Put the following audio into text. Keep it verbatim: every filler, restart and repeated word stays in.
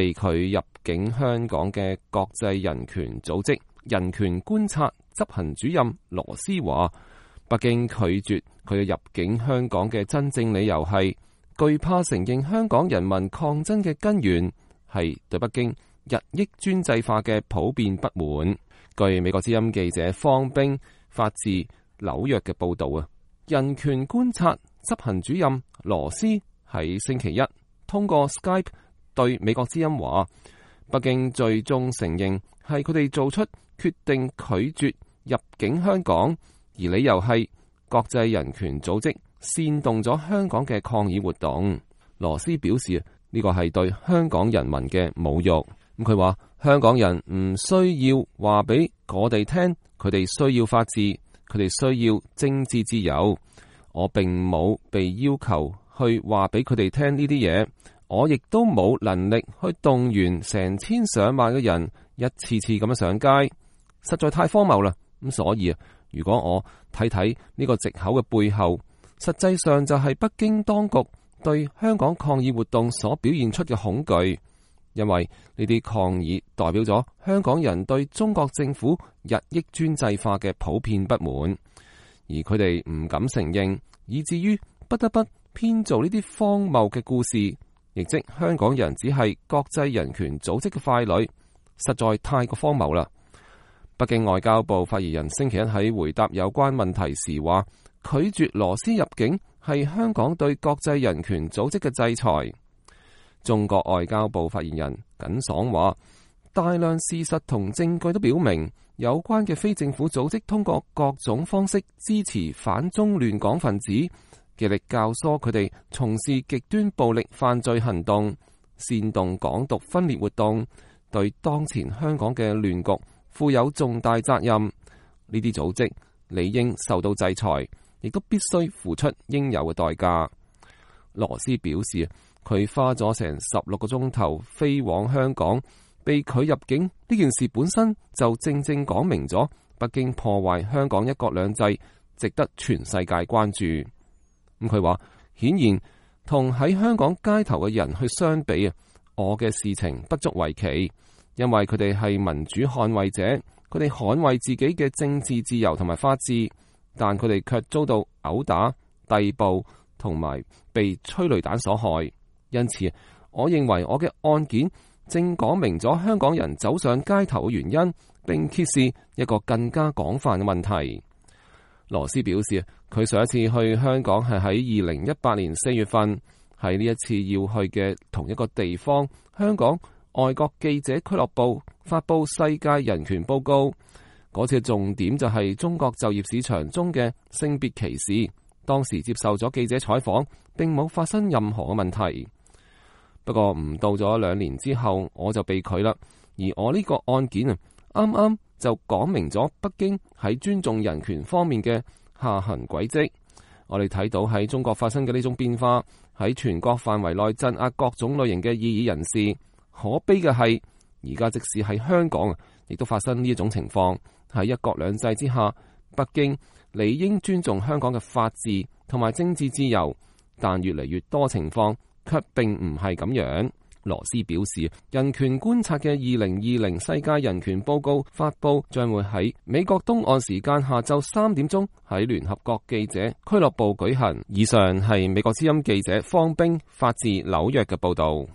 被拒入境香港嘅國際人權組織人權觀察執行主任羅斯話，北京拒絕佢入境香港嘅真正理由係懼怕承認香港人民抗爭嘅根源係對北京日益專制化嘅普遍不滿。據美國之音記者方冰發自紐約嘅報道啊，人權觀察執行主任羅斯喺星期一通過 Skype 對美國之音話，北京最終承認係佢哋做出決定拒絕入境香港，而理由係國際人權組織煽動咗香港嘅抗議活動。羅斯表示呢個係對香港人民嘅侮辱。咁佢話香港人唔需要話俾我哋聽，佢哋需要法治，佢哋需要政治自由。我並冇被要求去話俾佢哋聽呢啲嘢，我亦都冇能力去動員成千上萬嘅人一次次咁樣上街，實在太荒謬啦。咁所以啊，如果我睇睇呢個藉口嘅背後，實際上就係北京當局對香港抗議活動所表現出嘅恐懼，因為呢啲抗議代表咗香港人對中國政府日益專制化嘅普遍不滿，而佢哋唔敢承認，以至於不得不編造呢啲荒謬嘅故事，亦即香港人只係國際人權組織嘅傀儡，實在太過荒謬啦。北京外交部發言人星期一喺回答有關問題時話，拒絕羅斯入境係香港對國際人權組織嘅制裁。中國外交部發言人耿爽話，大量事實同證據都表明，有關嘅非政府組織通過各種方式支持反中亂港分子，極力教唆佢哋從事極端暴力犯罪行動，煽動港獨分裂活動，對當前香港嘅亂局負有重大責任。呢啲組織理應受到制裁，亦都必須付出應有嘅代價。羅斯表示，佢花咗成十六個鐘頭飛往香港，被拒入境呢件事本身就正正講明咗北京破壞香港一國兩制，值得全世界關注。咁佢話，顯然同喺香港街頭嘅人去相比啊，我嘅事情不足為奇，因為佢哋係民主捍衛者，佢哋捍衛自己嘅政治自由同埋法治，但佢哋卻遭到毆打、逮捕同埋被催淚彈所害。因此，我認為我嘅案件正講明咗香港人走上街頭嘅原因，並揭示一個更加廣泛嘅問題。羅斯表示，佢上一次去香港係喺二零一八年四月份，喺呢一次要去嘅同一個地方，香港外國記者俱樂部發佈世界人權報告。嗰次重點就係中國就業市場中嘅性別歧視。當時接受咗記者採訪，並冇發生任何嘅問題。不過唔到咗兩年之後，我就被拒啦。而我呢個案件啊，啱啱就講明咗北京喺尊重人權方面嘅下行軌跡。我哋睇到喺中國發生嘅呢種變化，喺全國範圍內鎮壓各種類型嘅異議人士。可悲嘅係，而家即使喺香港，亦都發生呢一種情況。喺一國兩制之下，北京理應尊重香港嘅法治同埋政治自由，但越嚟越多情況卻並唔係咁樣。羅斯表示，人權觀察嘅二零二零世界人權報告發佈將會喺美國東岸時間下晝三點鐘喺聯合國記者俱樂部舉行。以上係美國之音記者方冰發自紐約嘅報道。